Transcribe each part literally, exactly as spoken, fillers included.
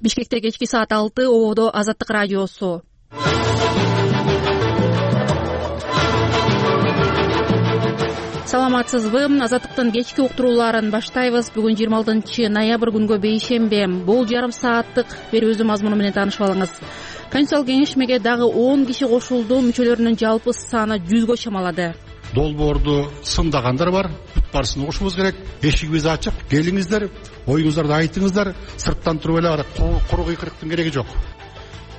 Бишкекте кечки саат алты, ободо Азаттык радиосу. Саламатсызбы? Азаттыктын кечки уктурууларын баштайбыз. Бүгүн жыйырма алтынчы ноябрь күнгө бейшембе. Бул жарым сааттык берүүбүздүн мазмуну менен таанышып алыңыз. Конституциялык кеңешмеге дагы он киши кошулду. Мүчөлөрүнүн жалпы саны жүзгө чамалады. Долбоорду сындагандар бар. Бүт барысын угушубуз керек. Эшигибиз ачык. Келиңиздер, оюңуздарды айтыңыздар. Сырттан туруп эле куру кыйкырыктын кереги жок.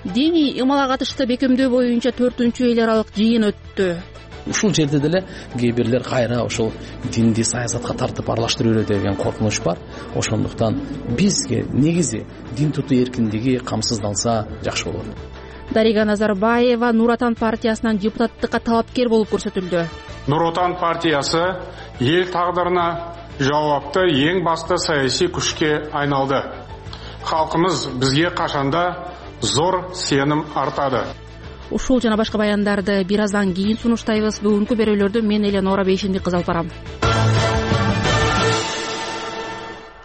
Диний ымалга катышты бекемдөө боюнча төртүнчү эл аралык жыйын өттү. Ушул жерде деле кээ бирлер кайра ошол динди саясатка тартып аралаштырып берет деген коркунуч бар. Ошондуктан бизге негизи дин тутуу эркиндиги камсыздалса жакшы болот. Дарига Назарбаева Нур Отан партиясынан депутаттыкка талапкер болуп көрсөтүлдү. Нур Отан партиясы эл тагдырына жауапты эң басты саясий күчкө айналды. Халкыбыз бизге качанда зор сеним артады. Ушул жана башка баяндарды бир аздан кийин сунуштайбыз. Бүгүнкү берүүлөрдү мен Эленора Бейшенди кыз алып барам.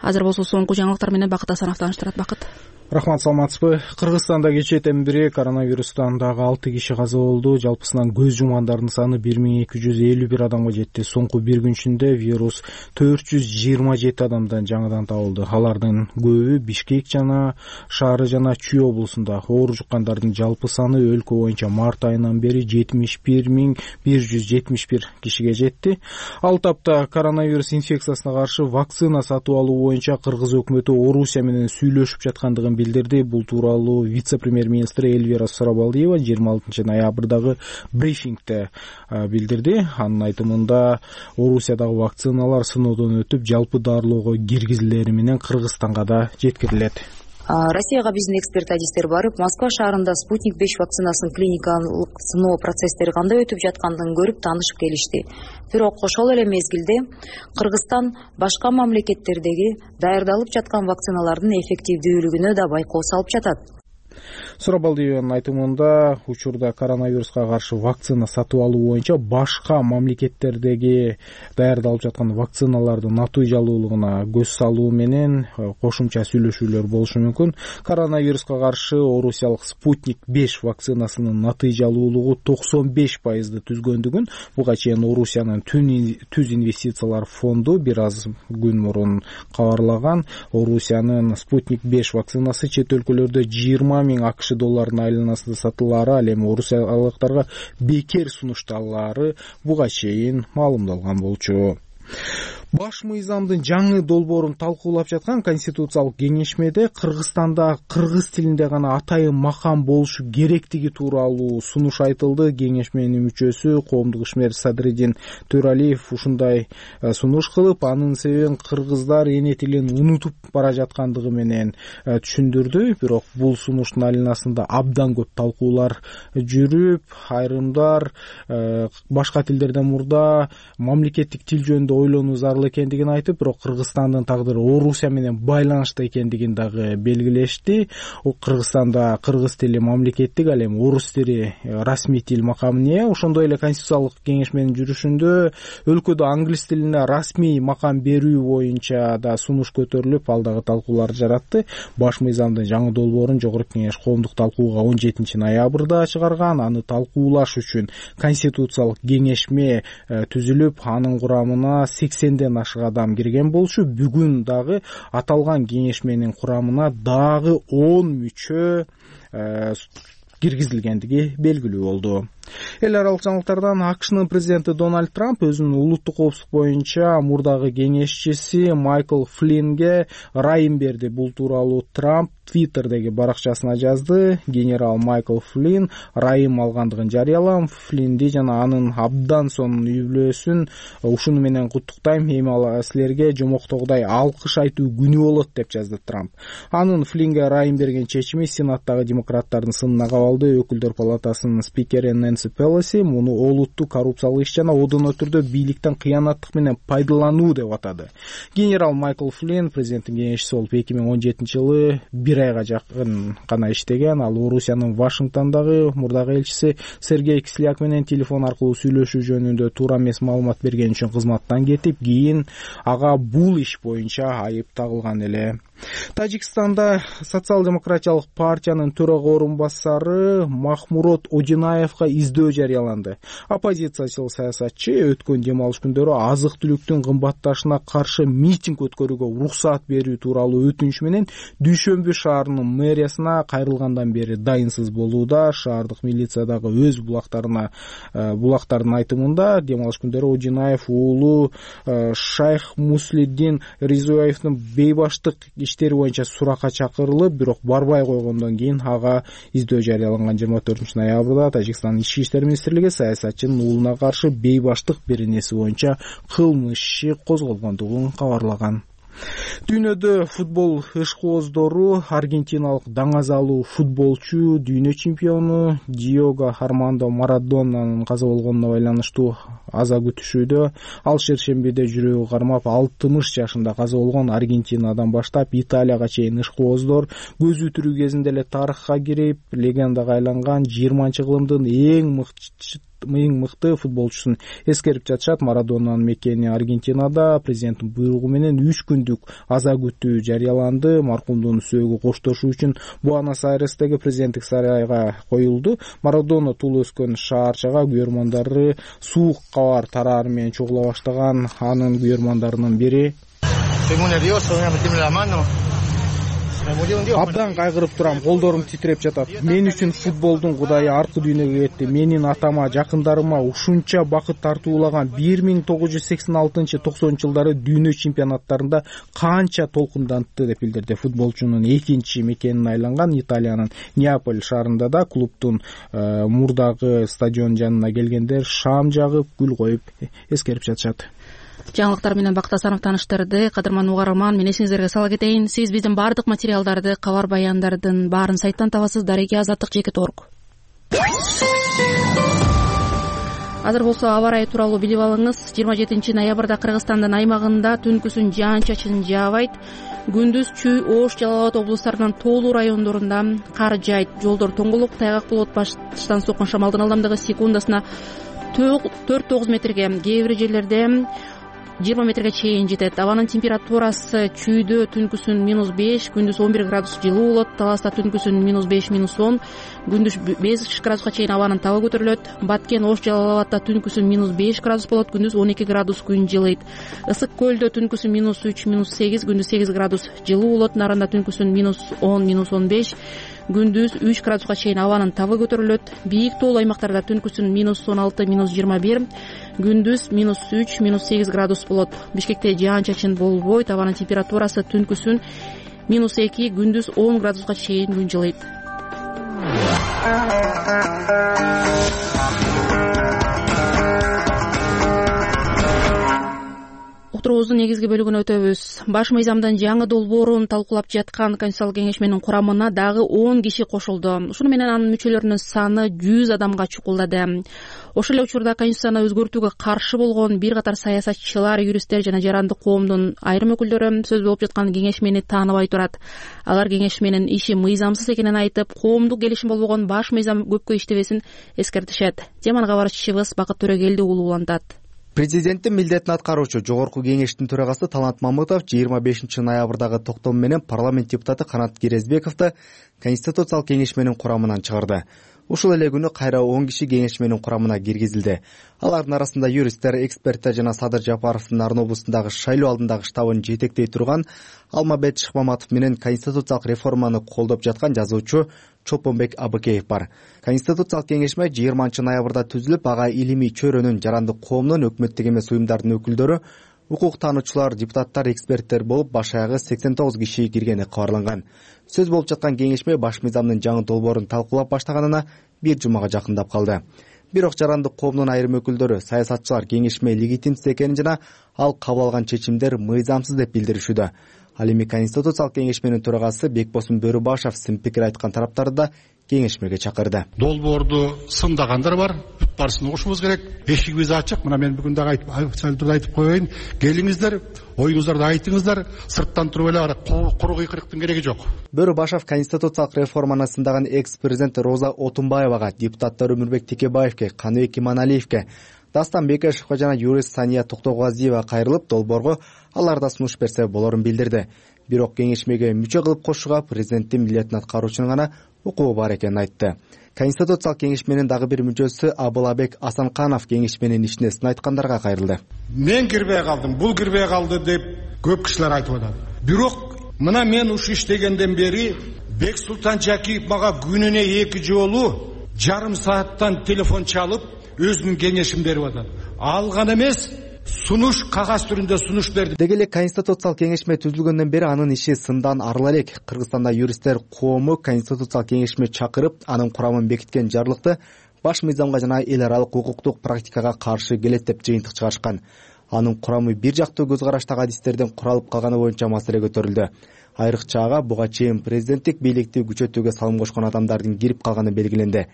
Азыр болсо соңку жаңылыктар менен Бакыт Асанов тааныштырат. Бакыт. Рахмат, саламатсызбы? Кыргызстанда кечээден бери коронавирустан дагы алты киши каза болду. Жалпысынан көз жумгандардын саны бир миң эки жүз элүү бир адамга жетти. Соңку бир күн ичинде вирус төрт жүз жыйырма жети адамдан жаңыдан табылды. Алардын көбү Бишкек жана шаары жана Чүй облусунда. Оор жуккандардын жалпы саны өлкө боюнча март айынан бери жетимиш бир миң бир жүз жетимиш бир кишиге жетти. Ал тапта коронавирус инфекциясына каршы вакцина сатып алуу боюнча Кыргыз өкмөтү Орусия менен сүйлөшүп жаткандыгын билдирди. Бул тууралуу вице-премьер-министр Эльвира Сурабалдиева жыйырма алтынчы ноябрдагы брифингде билдирди. Анын айтымында Орусиядагы вакциналар сыноодон өтүп, жалпы дарылоого киргизилери менен Кыргызстанга да жеткирилет. Россияга биздин эксперт адистер барып, Москва шаарында Спутник беш вакцинасын клиникалык сыноо процесстери кандай өтүп жаткандыгын көрүп таанышып келишти. Бирок ошол эле мезгилде Кыргызстан башка мамлекеттердеги даярдалып жаткан вакциналардын эффективдүүлүгүнө да байкоо салып жатат. Сурабалдиеванын айтымында учурда коронавируска каршы вакцина сатып алуу боюнча башка мамлекеттердеги даярдалып жаткан вакциналардын натыйжалуулугуна көз салуу менен кошумча сүйлөшүүлөр болушу мүмкүн. Коронавируска каршы орусиялык Спутник беш вакцинасынын натыйжалуулугу токсон беш пайызды түзгөндүгүн буга чейин Орусиянын Түз инвестициялар фонду бир аз күн мурун кабарлаган. Орусиянын Спутник беш вакцинасы чет өлкөлөрдө жыйырма миң АКШ долларынын айланасында сатылаары, ал эми орусиялыктарга бекер сунушталаары буга чейин маалымдалган болчу. Баш мыйзамдын жаңы долбоорун талкуулап жаткан Конституциялык кеңешмеде Кыргызстанда кыргыз тилинде гана атайын макам болушу керектиги тууралуу сунуш айтылды. Кеңешменин мүчөсү коомдук ишмер Садыридин Төралиев ушундай сунуш кылып, анын себебин кыргыздар эне тилин унутуп бара жаткандыгы менен түшүндүрдү. Бирок бул сунуштун айланасында абдан көп талкуулар жүрүп, айрымдар башка тилдерден мурда мамлекеттик тил жөнүндө ойлонуу зарыл экендигин айтып, бирок Кыргызстандын тагдыры Орусия менен байланышта экендигин дагы белгилешти. Кыргызстанда кыргыз тили мамлекеттик, ал эми орус тили расмий тил макамына ээ. Ошондой эле Конституциялык кеңешменин жүрүшүндө өлкөдө англис тилине расмий макам берүү боюнча да сунуш көтөрүлүп, ал дагы талкуулар жаратты. Баш мыйзамдын жаңы долбоорун Жогорку кеңеш коомдук талкууга он жетинчи ноябрда чыгарган. Аны талкуулаш үчүн Конституциялык кеңешме түзүлүп, анын курамына сексенден ашык адам кирген болчу. Бүгүн дагы аталган кеңешменин курамына дагы он мүчө киргизилгендиги белгилүү болду. Эл аралык жаңылыктардан АКШнын президенти Дональд Трамп өзүнүн улуттук коопсуздук боюнча мурдагы кеңешчиси Майкл Флиннге ырайым берди. Бул тууралуу Трамп Твиттердеги баракчасына жазды. Генерал Майкл Флинн ырайым алгандыгын жарыялам. Флинди жана анын абдан сонун үй бүлөсүн ушуну менен куттуктайм. Эми силерге жомоктогудай алкыш айтуу күнү болот деп жазды Трамп. Анын Флиннге ырайым берген чечими Сенаттагы демократтардын сынына кабалды. Өкүлдөр палатасынын спикери Нэнси Пелоси муну олуттуу коррупциялык иш жана одоно түрдө бийликтен кыянаттык менен пайдалануу деп атады. Генерал Майкл Флинн президенттин кеңешчиси болуп эки миң он жетинчи жылы бир айга жакын гана иштеген. Ал Орусиянын Вашингтондагы мурдагы элчиси Сергей Кисляк менен телефон аркылуу сүйлөшүү жөнүндө туура эмес маалымат берген үчүн кызматтан кетип, кийин ага бул иш боюнча айып тагылган эле. Тажикстанда социал-демократиялык партиянын төрага орун басары Махмурод Одинаевга издөө жарыяланды. Оппозициячыл саясатчы өткөн дем алыш күндөрү азык-түлүктүн кымбатташына каршы митинг өткөрүүгө уруксаат берүү тууралуу өтүнүш менен Дүйшөмбү шаарынын мэриясына кайрылгандан бери дайынсыз болууда. Шаардык милиция дагы өз булактарына булактардын айтымында дем алыш күндөрү Одинаев уулу Шайх Муслиддин Ризуаевдин бейбаштык иштери боюнча суракка чакырылып, бирок барбай койгондон кийин ага издөө жарыяланган. жыйырма төртүнчү ноябрда Тажикстандын ички иштер министрлиги саясатчынын уулуна каршы бейбаштык беренеси боюнча кылмыш иши козголгондугун кабарлаган. Дүйнөдө футбол ышкооздору аргентиналык даңазалуу футболчу дүйнө чемпиону Диего Армандо Марадонанын каза болгонуна байланыштуу аза күтүшүүдө. Ал шершембиде жүрөгү кармап алтымыш жашында каза болгон. Аргентинадан баштап Италияга чейин ышкооздор көзү тирүү кезинде эле тарыхка кирип, легендага айланган жыйырманчы кылымдын эң мыкты эң мыкты футболчусун эскерип жатышат. Марадонанын мекени Аргентинада президенттин буйругу менен үч күндүк аза күтүү жарыяланды. Маркумдун сөөгү коштошуу үчүн Буэнос-Айрестеги президенттик сарайга коюлду. Марадона туулуп өскөн шаарчага күйөрмандары суук кабар тарары менен чогула баштаган. Анын күйөрмандарынын бири абдан кайгырып турам, колдорум титиреп жатат. Мен үчүн футболдун кудайы аркы дүйнөгө кетти. Менин атама, жакындарыма ушунча бакыт тартуулаган бир миң тогуз жүз сексен алтынчы токсонунчу жылдары дүйнө чемпионаттарында канча толкундантты деп билдирди. Футболчунун экинчи мекенине айланган Италиянын Неаполь шаарында да клубдун э, мурдагы стадион жанына келгендер шам жагып, гүл коюп эскерип жатышат. Жаңылыктар менен Бакыт Асанов тааныштырды. Кадырман угарман, мен эсиңиздерге сала кетейин. Сиз биздин бардык материалдарды, кабар баяндардын баарын сайттан табасыз. Дареги азаттык жеке орг. Азыр болсо аба ырайы тууралуу билип алыңыз. жыйырма жетинчи ноябрда Кыргызстандын аймагында түнкүсүн жаан-чачын жаабайт. Күндүз Чүй, Ош, Жалал Абад облустарынын тоолуу райондорунда кар жаайт. Жолдор тоңголук, тайгак болот. Баштан соккон шамалдын ылдамдыгы секундасына төрт тогуз метрге, кээ бир жерлерде жыйырма метрге чейин жетет. Абанын температурасы Чүйдө түнкүсүн минус беш, күндүз он бир градус жылуу болот. Таласта түнкүсүн минус беш, минус он, күндүз беш градуска чейин абанын табы көтөрүлөт. Баткен, Ош, Жалал Абадта түнкүсүн минус беш градус болот, күндүз он эки градус күн жылыйт. Ысык көлдө түнкүсүн минус үч, минус сегиз, күндүз сегиз градус жылуу болот. Нарында түнкүсүн минус он, минус он беш, күндүз үч градуска чейин абанын табы көтөрүлөт. Бийик тоолуу аймактарда түнкүсүн минус он алты, минус жыйырма бир, күндүз минус үч, минус сегиз градус болот. Бишкекте жаан-чачын болбойт. Абанын температурасы түнкүсүн минус эки, күндүз он градуска чейин күн жылыйт. Уктуруубуздун негизги бөлүгүнө өтөбүз. Баш мыйзамдын жаңы долбоорун талкуулап жаткан Конституциялык кеңешменин курамына дагы он киши кошулду. Ушуну менен анын мүчөлөрүнүн саны жүз адамга чукулдады. Ошол эле учурда Конституцияны өзгөртүүгө каршы болгон бир катар саясатчылар, юристтер жана жарандык коомдун айрым өкүлдөрү сөз болуп жаткан кеңешмени тааныбай турат. Алар кеңешменин иши мыйзамсыз экенин айтып, коомдук келишим болбогон баш мыйзам көпкө иштебесин эскертишет. Теманы кабарчыбыз Бакыт Төрөгелди улуулантат. Президенттин милдетин аткаруучу Жогорку кеңештин төрагасы Талант Мамытов жыйырма бешинчи ноябрдагы токтом менен парламент депутаты Канат Кирезбековду Конституциялык кеңешменин курамынан чыгарды. Ушул эле күнү кайра он киши кеңешменин курамына киргизилди. Алардын арасында юристтер, эксперттер жана Садыр Жапаровдун Арын облусундагы шайлоо алдындагы штабын жетектей турган Алмабет Шыкмаматов менен конституциялык реформаны колдоп жаткан жазуучу Чолпонбек Абыкеев бар. Конституциялык кеңешме жыйырманчы ноябрда түзүлүп, ага илимий чөйрөнүн, жарандык коомдун, өкмөттүк эмес уюмдардын өкүлдөрү, укук таануучулар, депутаттар, эксперттер болуп, баш аягы сексен тогуз киши киргени кабарланган. Сөз болуп жаткан кеңешме баш мыйзамдын жаңы долбоорун талкуулап баштаганына бир жумага жакындап калды. Бирок жарандык коомдун айрым өкүлдөрү, саясатчылар кеңешме легитимсиз экенин жана ал кабыл алган чечимдер мыйзамсыз деп билдиришүүдө. Ал эми Конституциялык кеңешменин төрагасы Бекбосун Бөрүбашев сын пикир айткан тараптарды да кеңешмеге чакырды. Долбоорду сындагандар бар, бүт баарысын угушубуз керек. Эшигибиз ачык. Мына мен бүгүн дагы айтып айтып коеюн. Келиңиздер, оюңуздарды айтыңыздар. Сырттан туруп эле куру кыйкырыктын кереги жок. Бөрүбашев Конституциялык реформаны сындаган экс-президент Роза Отунбаевага, депутаттар Өмүрбек Текебаевке, Каныбек Иманалиевке, Дастан Бекешевге жана юрист Сания Токтогазиева кайрылып, долбоорго алар да сунуш берсе болорун билдирди. бирок кеңешмеге мүчө кылып кошууга президенттин милдетин аткаруучунун гана укугу бар экенин айтты. Конституциялык кеңешменин дагы бир мүчөсү Абылабек Асанканов кеңешменин ишине сын айткандарга кайрылды. Мен кирбей калдым, бул кирбей калды деп көп кишилер айтып атат. Бирок мына мен ушу иштегенден бери Бексултан Жакиев мага күнүнө эки жолу жарым сааттан телефон чалып өзүнүн кеңешин берип атат. Ал гана эмес, сунуш кагаз түрүндө сунуш берди. Деги эле конституциялык кеңешме түзүлгөндөн бери анын иши сындан арыла элек. Кыргызстанда юристтер коому конституциялык кеңешме чакырып, анын курамын бекиткен жарлыкты баш мыйзамга жана эл аралык укуктук практикага каршы келет деп жыйынтык чыгарышкан. Анын курамы бир жактуу көз караштагы адистерден куралып калганы боюнча маселе көтөрүлдү. Айрыкча ага буга чейин президенттик бийликти күчөтүүгө салым кошкон адамдардын кирип калганы белгиленди.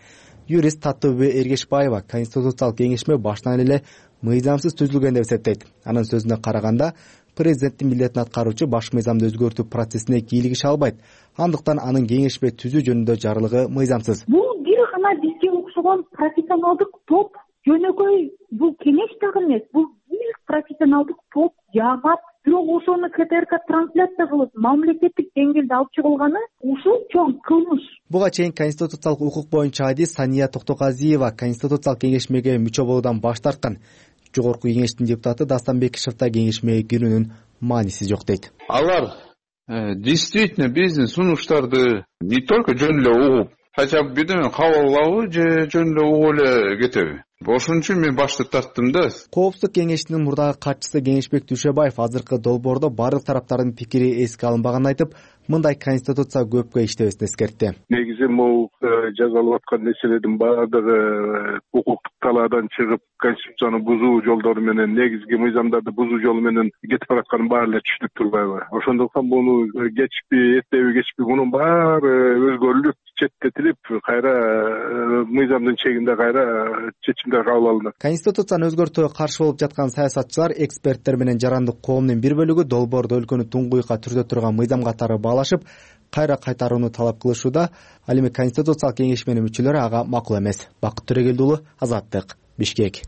Юрист Татыбү Эргешбаева конституциялык кеңешме башынан эле мыйзамсыз түзүлгөн деп эсептейт. Анын сөзүнө караганда, президенттин милдетин аткаруучу баш мыйзамды өзгөртүү процессине кийлигише албайт. Андыктан анын кеңешме түзүү жөнүндө жарлыгы мыйзамсыз. Бул бир гана бизге окшогон профессионалдык топ, жөнөкөй бул кеңеш дагы эмес, бул бир профессионалдык топ, жамаат. Бирок ошону КТРК трансляция кылып, мамлекеттик деңгээлде алып чыгылганы ушул чоң кылмыш. Буга чейин конституциялык укук боюнча адис Сания Токтоказиева конституциялык кеңешмеге мүчө болуудан баш тарткан. Жогорку кеңештин депутаты Дастан Бекишев да кеңешмеге кирүүнүн мааниси жок дейт. Алар действительно биздин сунуштарды не только жөн эле угуп, хотя бы бирдеме кабыл алабы же жөн эле угуп эле кетеби? Ошон үчүн мен башты тарттым да. Коопсуздук кеңешинин мурдагы катчысы Кеңешбек Дүйшөбаев азыркы долбоордо бардык тараптардын пикири эске алынбаганын айтып, мындай конституция көпкө иштебесин эскертти. Негизи могу жазалып аткан нерселердин баардыгы укуктук талаадан чыгып, конституцияны бузуу жолдору менен, негизги мыйзамдарды бузуу жолу менен кетип баратканын баары эле түшүнүп турбайбы? Ошондуктан муну кечпи, эртеби кечпи мунун баары өзгөрүлүп, четтетилип, кайра мыйзамдын чегинде кайра чечимдер кабыл алынат. Конституцияны өзгөртүүгө каршы болуп жаткан саясатчылар, эксперттер менен жарандык коомдун бир бөлүгү долбоордо өлкөнү туңгуйукка түртө турган мыйзам катары баалашып, кайра кайтарууну талап кылышууда. Ал эми конституциялык кеңешменин мүчөлөрү ага макул эмес. Бакыт Төрөгелди уулу, Азаттык, Бишкек.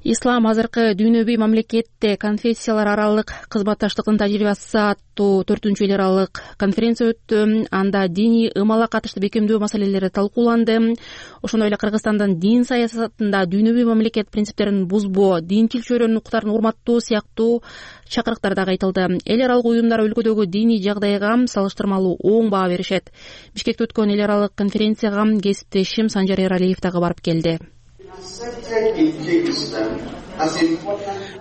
Ислам азыркы дүйнөбүй мамлекетте конфессиялар аралык кызматташтыктын тажрыйбасы аттуу төртүнчү эл аралык конференция өттү. Анда диний ымалга катыштуу бекемдөө маселелери талкууланды. Ошондой эле Кыргызстандын дин саясатында дүйнөбүй мамлекет принциптерин бузбоо, динчил чөйрөнүн укуктарын урматтоо сыяктуу чакырыктар дагы айтылды. Эл аралык уюмдар өлкөдөгү диний жагдайга салыштырмалуу оң баа беришет. Бишкекте өткөн эл аралык конференцияга кесиптешим Санжар Эралиев дагы барып келди.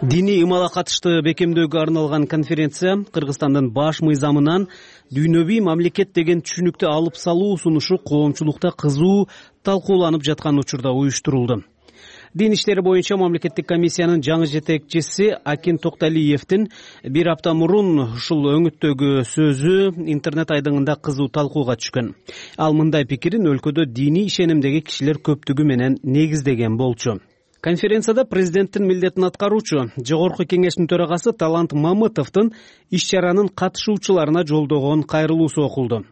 Диний ымалга катыштуу бекемдөөгө арналган конференция Кыргызстандын баш мыйзамынан дүйнөбүй мамлекет деген түшүнүктү алып салуу сунушу коомчулукта кызуу талкууланып жаткан учурда уюштурулду. Дин иштери боюнча мамлекеттик комиссиянын жаңы жетекчиси Акин Токталиевдин бир апта мурун ушул өңүттөгү сөзү интернет айдыңында кызуу талкууга түшкөн. Ал мындай пикирин өлкөдө диний ишенимдеги кишилер көптүгү менен негиздеген болчу. Конференцияда президенттин милдетин аткаруучу Жогорку кеңештин төрагасы Талант Мамытовдун иш-чаранын катышуучуларына жолдогон кайрылуусу окулду.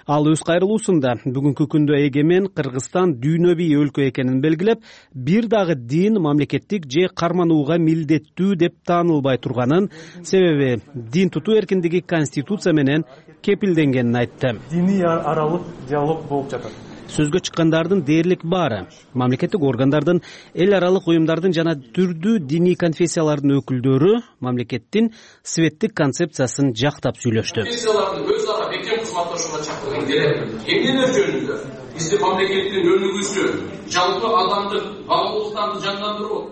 Ал өз кайрылуусунда бүгүнкү күндө эгемен Кыргызстан дүйнөбүй өлкө экенин белгилеп, бир дагы дин мамлекеттик же карманууга милдеттүү деп таанылбай турганын, себеби дин тутуу эркиндиги конституция менен кепилденгенин айтты. Диний аралык диалог болуп жатат. Сөзгө чыккандардын дээрлик баары мамлекеттик органдардын, эл аралык уюмдардын жана түрдүү диний конфессиялардын өкүлдөрү мамлекеттин светтик концепциясын жактап сүйлөштү. Конфессиялардын өз ара бекем кызматташууга чакырган керек. Эмнелер жөнүндө биздин мамлекеттин өнүгүүсү, жалпы адамдык баалуулуктарды жандандыруу.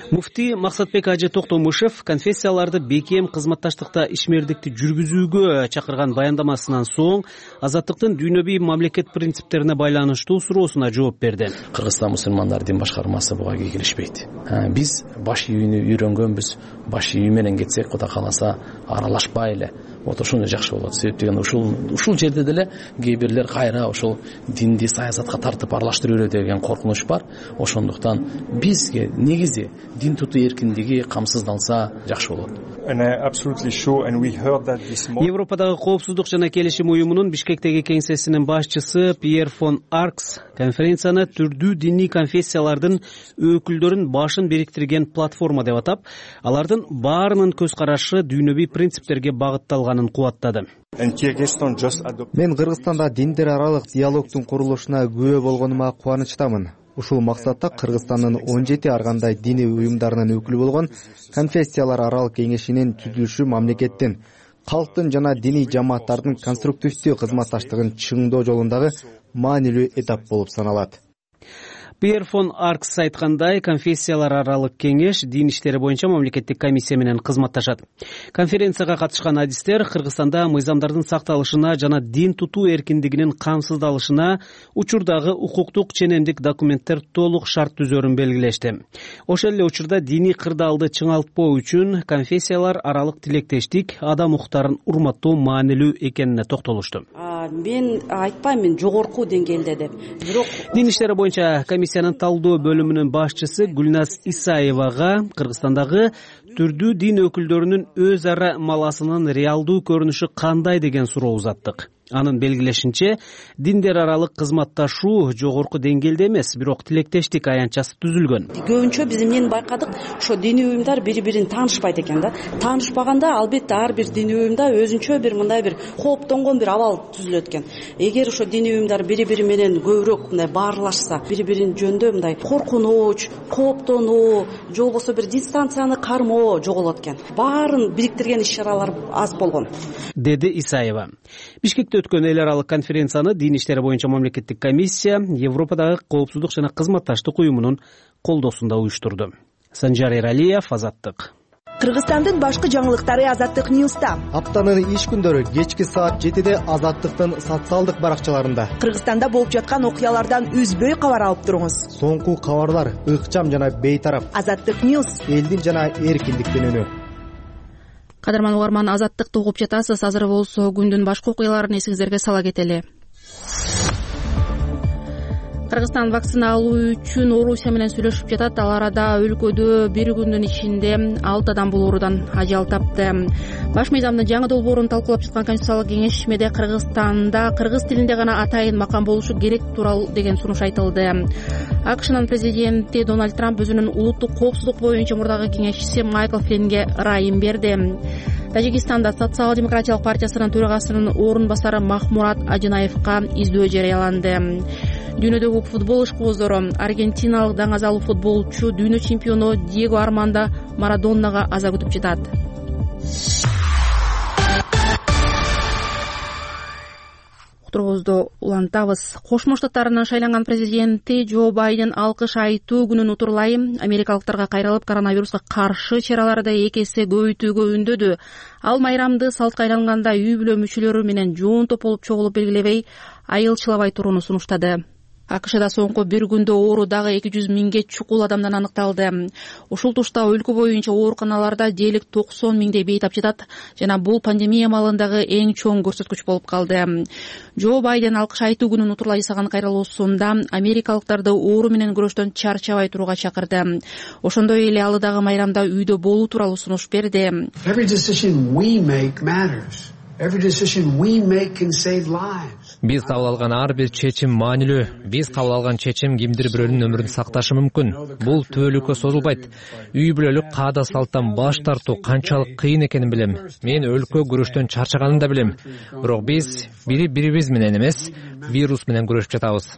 Муфти Максатбек Ажы Токтомушев конфессияларды бекем кызматташтыкта ишмердикти жүргүзүүгө чакырган баяндамасынан соң азаттыктын дүйнөбүй мамлекет принциптерине байланыштуу суроосуна жооп берди. Кыргызстан мусулмандар дин башкармасы буга кийлишпейт. Биз баш үйүнү үйрөнгөнбүз, баш үйү менен кетсек, Кудай кааласа аралашпай эле отурушун жакшы болот. Себеп деген ушул ушул жерде деле кээ бирлер кайра ушул динди саясатка тартып аралаштырып берет деген коркунуч бар. Ошондуктан бизге негизи дин тутуу эркиндиги камсыздалса жакшы болот. Европадагы коопсуздук жана келишим уюмунун Бишкектеги кеңсесинин башчысы Пьер фон Аркс конференцияны түрдүү диний конфессиялардын өкүлдөрүн башын бириктирген платформа деп атап, алардын баарынын көз карашы дүйнөбүй принциптерге багытталганын кубаттады. Мен Кыргызстанда диндер аралык диалогдун курулушуна күбө болгонума кубанычтамын. Ушул максатта Кыргызстандын он жети ар кандай диний уюмдарынын өкүлү болгон конфессиялар аралык кеңешинин түзүлүшү мамлекеттин, калктын жана диний жамааттардын конструктивдүү кызматташтыгын чыңдоо жолундагы маанилүү этап болуп саналат. Пьер фон Аркс айткандай, конфессиялар аралык кеңеш дин иштери боюнча мамлекеттик комиссия менен кызматташат. Конференцияга катышкан адистер Кыргызстанда мыйзамдардын сакталышына жана дин тутуу эркиндигинин камсыздалышына учурдагы укуктук ченемдик документтер толук шарт түзөрүн белгилешти. Ошол эле учурда диний кырдаалды чыңалтпоо үчүн конфессиялар аралык тилектештик, адам укуктарын урматтоо маанилүү экенине токтолушту. Мен айтпаймын жогорку деңгээлде деп. Бирок дин иштери боюнча комиссиянын талдоо бөлүмүнүн башчысы Гүлназ Исаевага Кыргызстандагы түрдүү дин өкүлдөрүнүн өз ара маласынын реалдуу көрүнүшү кандай деген суроо узаттык. Анын белгилешинче, диндер аралык кызматташуу жогорку деңгээлде эмес, бирок тилектештик аянтчасы түзүлгөн. Көбүнчө биз эмнени байкадык, ошо диний уюмдар бири-бирин таанышпайт экен да. Таанышпаганда албетте ар бир диний уюмда өзүнчө бир мындай бир кооптонгон бир абал түзүлөт экен. Эгер ошо диний уюмдар бири-бири менен көбүрөөк мындай баарлашса, бири-бирин жөнүндө мындай коркунуч, кооптонуу, же болбосо бир дистанцияны кармоо жоголот экен. Баарын бириктирген иш-чаралар аз болгон, деди Исаева. Бишкекте өткөн эл аралык конференцияны дин иштери боюнча мамлекеттик комиссия Европадагы коопсуздук жана кызматташтык уюмунун колдоосунда уюштурду. Санжар Эралиев, Азаттык. Кыргызстандын башкы жаңылыктары Азаттык Ньюста. Аптанын иш күндөрү кечки саат жетиде Азаттыктын социалдык баракчаларында. Кыргызстанда болуп жаткан окуялардан үзбөй кабар алып туруңуз. Соңку кабарлар ыкчам жана бейтарап. Азаттык Ньюс. Элдин жана эркиндиктин үнү. Кадырман угарман, Азаттыкты угуп жатасыз. Азыр болсо күндүн башка окуяларын эсиңиздерге сала кетели. Кыргызстан вакцина алуу үчүн Орусия менен сүйлөшүп жатат. Ал арада өлкөдө бир күндүн ичинде алты адам бул оорудан ажал тапты. Баш мыйзамдын жаңы долбоорун талкуулап жаткан Конституциялык кеңешмеде Кыргызстанда кыргыз тилинде гана атайын макам болушу керек тууралуу деген сунуш айтылды. АКШнын президенти Дональд Трамп өзүнүн улуттук коопсуздук боюнча мурдагы кеңешчиси Майкл Флинге ырайым берди. Тажикстанда Социал-демократиялык партиясынын төрагасынын орун басары Махмурат Ажынаевка издөө жарыяланды. Дүйнөдөгү футбол ишкуоздору аргентиналык даңазалуу футболчу дүйнө чемпиону Диего Армандо Марадоннага аза күтүп жатат. Уктуруубузду улантабыз. Кошмо Штаттарынын шайланган президенти Джо Байден алкыш айтуу күнүн утурлай америкалыктарга кайрылып коронавируска каршы чараларды эки эсе көбөйтүүгө үндөдү. Ал майрамды салтка айланганда үй бүлө мүчөлөрү менен жоон топ болуп чогулуп белгилебей, айылчылабай турууну сунуштады. АКШда соңку бир күндө оору дагы эки жүз миңге чукул адамдан аныкталды. Ушул тушта өлкө боюнча ооруканаларда дээрлик токсон миңдей бейтап жатат жана бул пандемия маалындагы эң чоң көрсөткүч болуп калды. Джо Байден алкыш айтуу күнүн утурлай жасаган кайрылуусунда америкалыктарды оору менен күрөштөн чарчабай турууга чакырды. Ошондой эле ал дагы майрамда үйдө болуу тууралуу сунуш берди. Биз кабыл алган ар бир чечим маанилүү. Биз кабыл алган чечим кимдир бирөөнүн өмүрүн сакташы мүмкүн. Бул түбөлүккө созулбайт. Үй бүлөлүк каада салттан баш тартуу канчалык кыйын экенин билем. Мен өлкө күрөштөн чарчаганын да билем. Бирок биз бири бирибиз менен эмес, вирус менен күрөшүп жатабыз.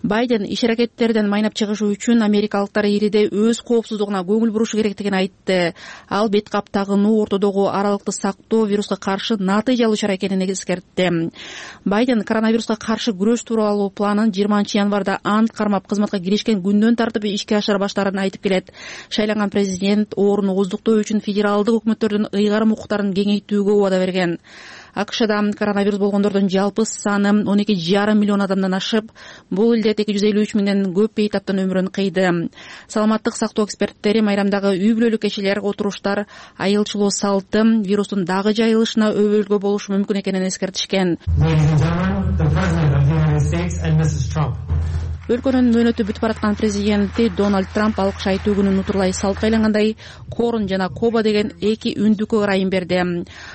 Байден иш-аракеттерден майнап чыгышы үчүн америкалыктар ириде өз коопсуздугуна көңүл бурушу керектигин айтты. Ал бет кап тагынуу, ортодогу аралыкты сактоо вируска каршы натыйжалуу чара экенин эскертти. Байден коронавируска каршы күрөш тууралуу планын жыйырманчы январда ант кармап кызматка киришкен күндөн тартып ишке ашыра баштаарын айтып келет. Шайланган президент ооруну ооздуктоо үчүн федералдык өкмөттөрдүн ыйгарым укуктарын кеңейтүүгө убада берген. АКШда коронавирус болгондордун жалпы саны он эки жарым миллион адамдан ашып, бул илдет эки жүз элүү үч миңден көп бейтаптын өмүрүн кыйды. Саламаттык сактоо эксперттери майрамдагы үй бүлөлүк кечелер, отуруштар, айылчылоо салты вирустун дагы жайылышына өбөлгө болушу мүмкүн экенин эскертишкен. өлкөнүн мөөнөтү бүтүп бараткан президенти Дональд Трамп алкыш айтуу күнүн утурлай салпка айлангандай Корн жана Коба деген эки үндүккө ырайым берди.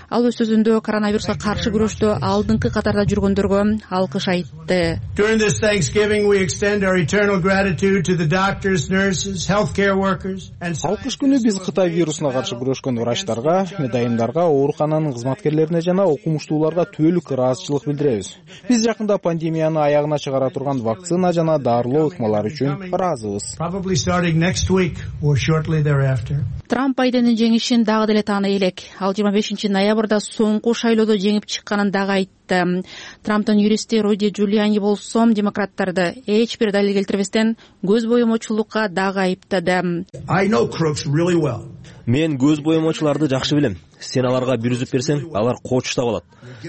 Ал өз сөзүндө коронавируска каршы күрөштө алдыңкы катарда жүргөндөргө алкыш айтты. During this Thanksgiving, we extend our eternal gratitude to the doctors, nurses, healthcare workers, and алкыш күнү биз Кытай вирусуна каршы күрөшкөн врачтарга, медайымдарга, оорукананын кызматкерлерине жана окумуштууларга түбөлүк ыраазычылык билдиребиз. Биз жакында пандемияны аягына чыгара турган вакцина жана дарылоо ыкмалары үчүн ыраазыбыз. probably starting next week or shortly thereafter. Трамп Байдендин жеңишин дагы деле тааны элек. Ал жыйырма бешинчи ноябрда соңку шайлоодо жеңип чыкканын дагы айтты. Трамптын юристи Руди Джулиани болсо демократтарды эч бир далил келтирбестен көз боемочулукка дагы айыптады. I know crooks really well. Мен көз боемочуларды жакшы билем. Сен аларга бир үзүп берсең, алар кочуштап алат.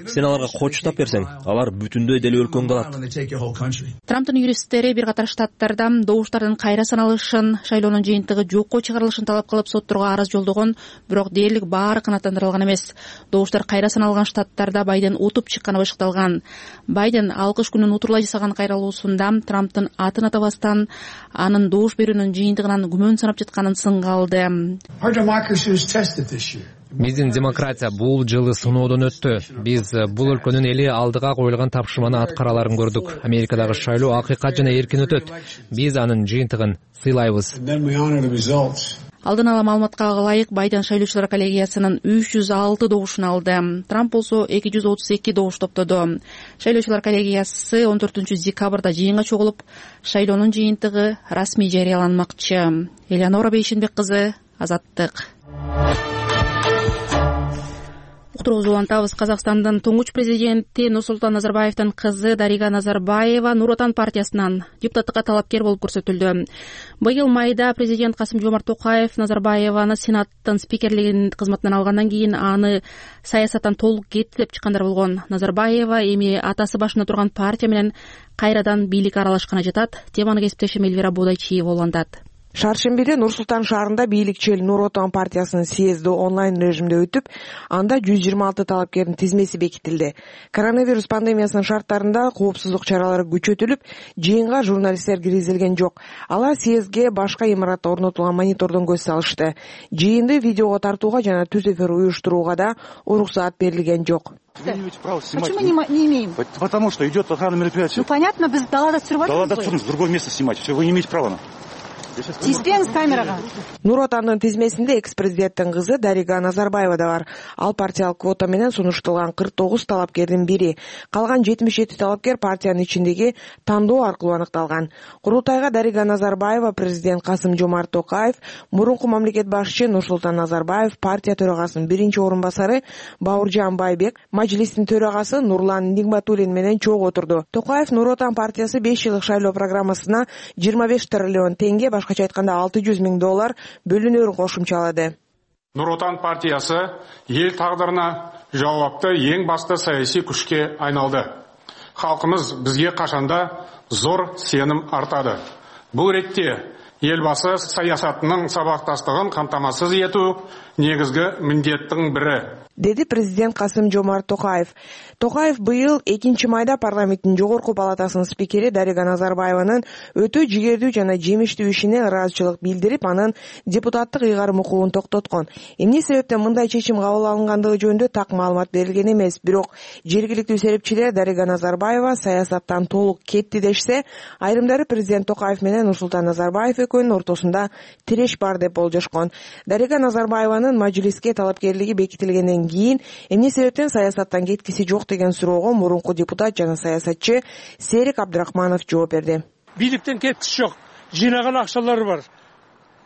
Сен аларга кочуштап берсең, алар бүтүндөй деле өлкөңдү алат. Трамптын юристтери бир катар штаттарда добуштардын кайра саналышын, шайлоонун жыйынтыгы жокко чыгарылышын талап кылып сотторго арыз жолдогон, бирок дээрлик баары канааттандырылган эмес. Добуштар кайра саналган штаттарда Байден утуп чыкканы башыкталган. Байден алкыш күнүн утурлай жасаган кайралуусунда Трамптын атын атабастан анын добуш берүүнүн жыйынтыгынан күмөн санап жатканын сынга алды. Биздин демократия бул жылы сыноодон өттү. Биз бул өлкөнүн эли алдыга коюлган тапшырманы аткараларын көрдүк. Америкадагы шайлоо акыйкат жана эркин өтөт. Биз анын жыйынтыгын сыйлайбыз. Алдын ала маалыматка ылайык Байден шайлоочулар коллегиясынын үч жүз алты добушун алды. Трамп болсо эки жүз отуз эки добуш топтоду. Шайлоочулар коллегиясы он төртүнчү декабрда жыйынга чогулуп, шайлоонун жыйынтыгы расмий жарыяланмакчы. Элеонора Бейшенбек кызы, Азаттык. Уктуруубузду улантабыз. Казакстандын туңгуч президенти Нурсултан Назарбаевдин кызы Дарига Назарбаева Нур Отан партиясынан депутаттыкка талапкер болуп көрсөтүлдү. Быйыл майда президент Касым-Жомарт Токаев Назарбаеваны Сенаттын спикерлигин кызматынан алгандан кийин аны саясаттан толук кетти деп чыккандар болгон. Назарбаева эми атасы башында турган партия менен кайрадан бийликке аралашканы жатат. Теманы кесиптешим Эльвира Бодайчиева улантат. Шаршембиде Нур-Султан шаарында бийликчил Нур Отан партиясынын съезди онлайн режимде өтүп, анда жүз жыйырма алты талапкердин тизмеси бекитилди. Коронавирус пандемиясынын шарттарында коопсуздук чаралары күчөтүлүп, жыйынга журналисттер киргизилген жок. Алар съездге башка имаратта орнотулган монитордон көз салышты. Жыйынды видеого тартууга жана түз эфир уюштурууга да уруксаат берилген жок. Вы не имеете права снимать. Почему не, не имеем? Потому что идет охрана мероприятия. Ну понятно, без далада срывать. Далада в другое место снимать. Все, вы не имеете права. Тиспеңиз камерага. Нур Отандын тизмесинде экс-президенттин кызы Дарига Назарбаева да бар. Ал партиялык квота менен сунушталган кырк тогуз талапкердин бири. Калган жетимиш жети талапкер партиянын ичиндеги тандоо аркылуу аныкталган. Курултайга Дарига Назарбаева, президент Касым-Жомарт Токаев, мурунку мамлекет башчы Нурсултан Назарбаев, партия төрагасынын биринчи орун басары Бауыржан Байбек, мажлистин төрагасы Нурлан Нигматуллин менен чогуу отурду. Токаев Нур Отан партиясы беш жылдык шайлоо программасына жыйырма беш триллион теңге, башкача айтканда алты жүз миң доллар бөлүнөрүн кошумчалады. Нур Отан партиясы ел тагдырына жауапты ең басты саясий күшке айналды. Халкымыз бизге кашанда зор сеним артады. Бул ретте елбасы саясатынын сабактастыгын камтамасыз этүү негизги миндеттин бири, деди президент Касым-Жомарт Токаев. Токаев быйыл экинчи майда парламенттин жогорку палатасынын спикери Дарига Назарбаеванын өтө жигердүү жана жемиштүү ишине ыраазычылык билдирип, анын депутаттык ыйгарым укугун токтоткон. Эмне себептен мындай чечим кабыл алынгандыгы жөнүндө так маалымат берилген эмес, бирок жергиликтүү серепчилер Дарига Назарбаева саясаттан толук кетти дешсе, айрымдары президент Токаев менен Нурсултан Назарбаев экөөнүн ортосунда тиреш бар деп болжошкон. Дарига Назарбаеванын мажлиске талапкерлиги бекитилгенден кийин эмне себептен саясаттан кеткиси жок деген суроого мурунку депутат жана саясатчы Серик Абдрахманов жооп берди. Бийликтен кеткиси жок, жыйнаган акчалары бар.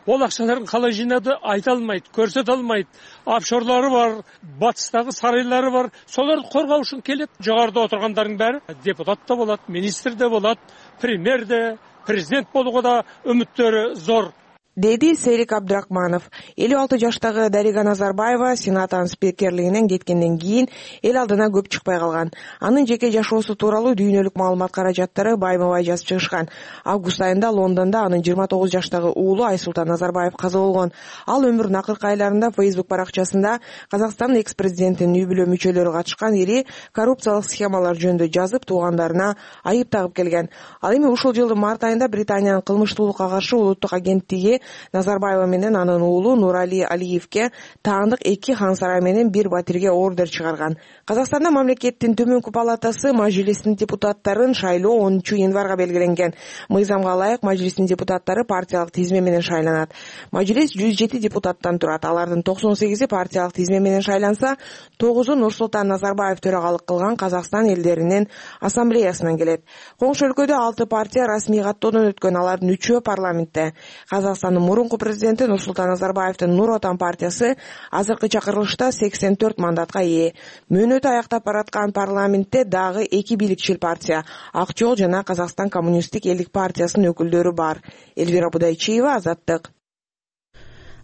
Ол акчаларын калай жыйнады айта алмайт, көрсөтө алмайт. Офшорлору бар, батыстагы сарайлары бар. Солорду коргоо үчүн келет. Жогоруда отургандардын баары депутат да болот, министр да болот, премьер да, президент болууга да үмүттөрү зор. деди Серик Абдрахманов. элүү алты жаштагы Дарига Назарбаева сенаттын спикерлигинен кеткенден кийин эл алдына көп чыкпай калган. Анын жеке жашоосу тууралуу дүйнөлүк маалымат каражаттары байма-бай жазып чыгышкан. Август айында Лондондо анын жыйырма тогуз жаштагы уулу Айсултан Назарбаев каза болгон. Ал өмүрүнүн акыркы айларында Facebook баракчасында Казакстан экс-президентинин үй бүлө мүчөлөрү катышкан ири коррупциялык схемалар жөнүндө жазып, туугандарына айып тагып келген. Ал эми ушул жылдын март айында Британиянын кылмыштуулукка каршы улуттук агенттиги Назарбаева менен анын уулу Нурали Алиевке таандык эки хан сарай менен бир батирге ордер чыгарган. Казакстанда мамлекеттин төмөнкү палатасы Мажлистин депутаттарын шайлоо онунчу январга белгиленген. Мыйзамга ылайык Мажлистин депутаттары партиялык тизме менен шайланат. Мажлис жүз жети депутаттан турат. Алардын токсон сегизи партиялык тизме менен шайланса, тогузу Нурсултан Назарбаев төрагалык кылган Казакстан элдеринин ассамблеясынан келет. Коңшу өлкөдө алты партия расмий каттоодон өткөн, алардын үчөө парламентте. Казакстандын мурунку президенти Нурсултан Назарбаевдин Нур Отан партиясы азыркы чакырылышта сексен төрт мандатка ээ. Мөөнөтү аяктап бараткан парламентте дагы эки бийликчил партия Ак жол жана Казакстан коммунисттик элдик партиясынын өкүлдөрү бар. Элвира Будайчиева, Азаттык.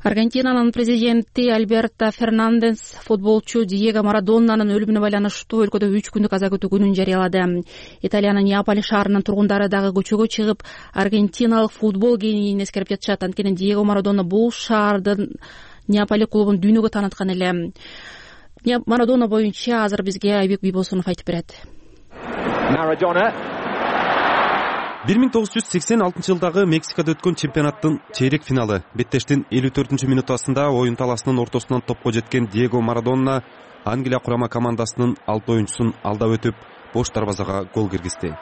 Аргентинанын президенти Альберто Фернандес футболчу Диего Марадоннанын өлүмүнө байланыштуу өлкөдө үч күндүк аза күтүү күнүн жарыялады. Италиянын Неаполь шаарынын тургундары дагы көчөгө чыгып, аргентиналык футбол генийин эскерип жатышат. Анткени Диего Марадона бул шаардын Неаполь клубун дүйнөгө тааныткан эле. Марадона боюнча азыр бизге Айбек Бийбосунов айтып берет. Марадона бир миң тогуз жүз сексен алтынчы жылдагы Мексикада өткөн чемпионаттын чейрек финалы. Беттештин элүү төртүнчү минутасында оюн таласынын ортосунан топко жеткен Диего Марадона Англия курама командасынын алты оюнчусун алдап өтүп, бош дарбазага гол киргизди.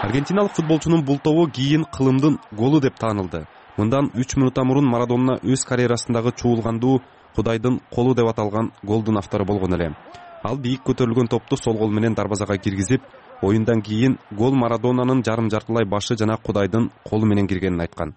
Аргентиналык футболчунун бул тобу кийин кылымдын голу деп таанылды. Мындан үч минутта мурун Марадона өз карьерасындагы чуулгандуу Кудайдын колу деп аталган голдун автору болгон эле. Ал бийик көтөрүлгөн топту сол кол менен дарбазага киргизип, оюндан кийин гол Марадонанын жарым жартылай башы жана Кудайдын колу менен киргенин айткан.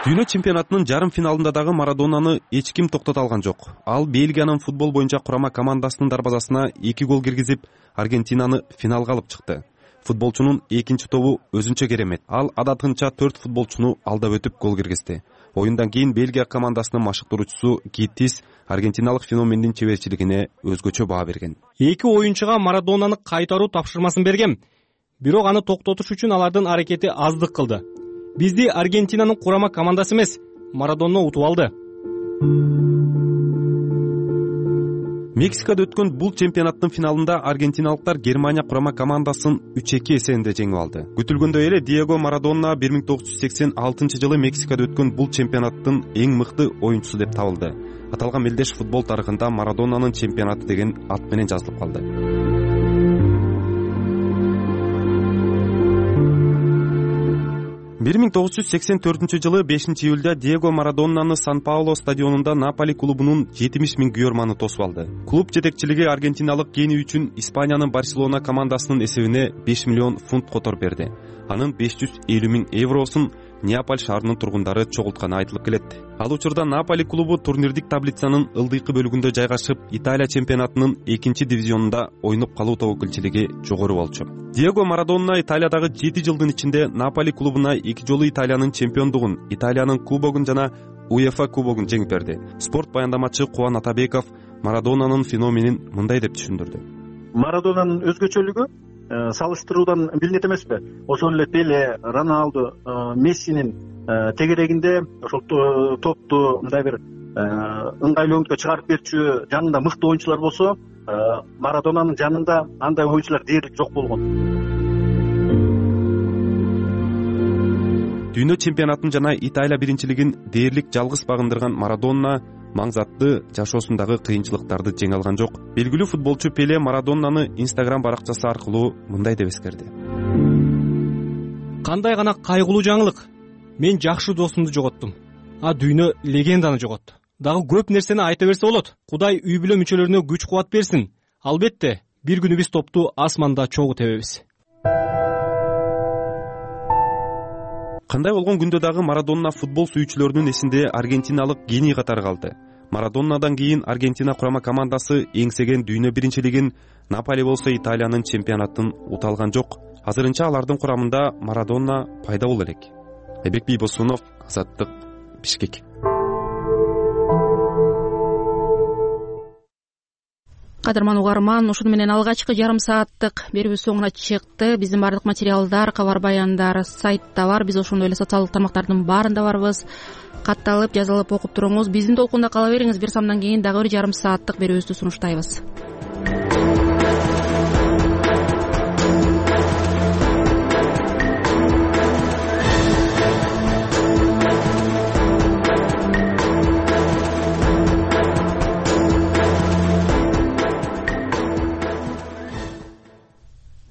Дүйнө чемпионатынын жарым финалында дагы Марадонаны эч ким токтото алган жок. Ал Бельгиянын футбол боюнча курама командасынын дарбазасына эки гол киргизип, Аргентинаны финалга алып чыкты. Футболчунун экинчи тобу өзүнчө керемет. Ал адатынча төрт футболчуну алдап өтүп гол киргизди. Оюндан кийин Бельгия командасынын машыктыруучусу Гиттис аргентиналык феномендин чеберчилигине өзгөчө баа берген. Эки оюнчуга Марадонаны кайтаруу тапшырмасын бергем. Бирок аны токтотуш үчүн алардын аракети аздык кылды. Бизди Аргентинанын курама командасы эмес, Марадона утуп алды. Мексикада өткөн бул чемпионаттын финалында аргентиналыктар Германия курама командасын үч эки эсебинде жеңип алды. Күтүлгөндөй эле Диего Марадона бир миң тогуз жүз сексен алтынчы жылы Мексикада өткөн бул чемпионаттын эң мыкты оюнчусу деп табылды. Аталган мелдеш футбол тарыхында Марадонанын чемпионаты деген ат менен жазылып калды. бир миң тогуз жүз сексен төртүнчү жылы бешинчи июлда Диего Марадонаны Сан-Пауло стадионунда Наполи клубунун жетимиш миң күйөрманы тосуп алды. Клуб жетекчилиги аргентиналык гений үчүн Испаниянын Барселона командасынын эсебине беш миллион фунт котор берди. Анын беш жүз элүү миң евросун Неаполь шаарынын тургундары чогултканы айтылып келет. Ал учурда Наполи клубу турнирдик таблицанын ылдыйкы бөлүгүндө жайгашып, Италия чемпионатынын экинчи дивизионунда ойноп калуу тобокелчилиги жогору болчу. Диего Марадона Италиядагы жети жылдын ичинде Наполи клубуна эки жолу Италиянын чемпиондугун, Италиянын кубогун жана УЕФА кубогун жеңип берди. Спорт баяндамачы Кубан Атабеков Марадонанын феноменин мындай деп түшүндүрдү. Марадонанын өзгөчөлүгү салыштыруудан билинет эмеспи? Ошол эле Пеле, Роналду, Мессинин тегерегинде ошол топту мындай бир ыңгайлуу өңүткө чыгарып берчү жанында мыкты оюнчулар болсо, Марадонанын жанында андай оюнчулар дээрлик жок болгон. Дүйнө чемпионатын жана Италия биринчилигин дээрлик жалгыз багындырган Марадона маңзатты жашоосундагы кыйынчылыктарды жеңе алган жок. Белгилүү футболчу Пеле Марадонаны Instagram баракчасы аркылуу мындай деп эскерди. Кандай гана кайгылуу жаңылык. Мен жакшы досумду жоготтум. А дүйнө легенданы жоготту. Дагы көп нерсени айта берсе болот. Кудай үй бүлө мүчөлөрүнө күч кубат берсин. Албетте, бир күнү биз топту асманда чогуу тебебиз. Кандай болгон күндө дагы Марадона футбол сүйүүчүлөрүнүн эсинде аргентиналык гений катары калды. Марадонадан кийин Аргентина курама командасы эңсеген дүйнө биринчилигин, Наполи болсо Италиянын чемпионатын ута алган жок. азырынча алардын курамында Марадона пайда боло элек. Айбек Бийбосунов, Азаттык, Бишкек. Кадырман угарман, ушуну менен алгачкы жарым сааттык берүүбүз соңуна чыкты. Биздин баардык материалдар, кабар баяндар сайтта бар. Биз ошондой эле социалдык тармактардын баарында барбыз. Катталып, жазылып окуп туруңуз. Биздин толкунда кала бериңиз. Бир самдан кийин дагы бир жарым сааттык берүүбүздү сунуштайбыз.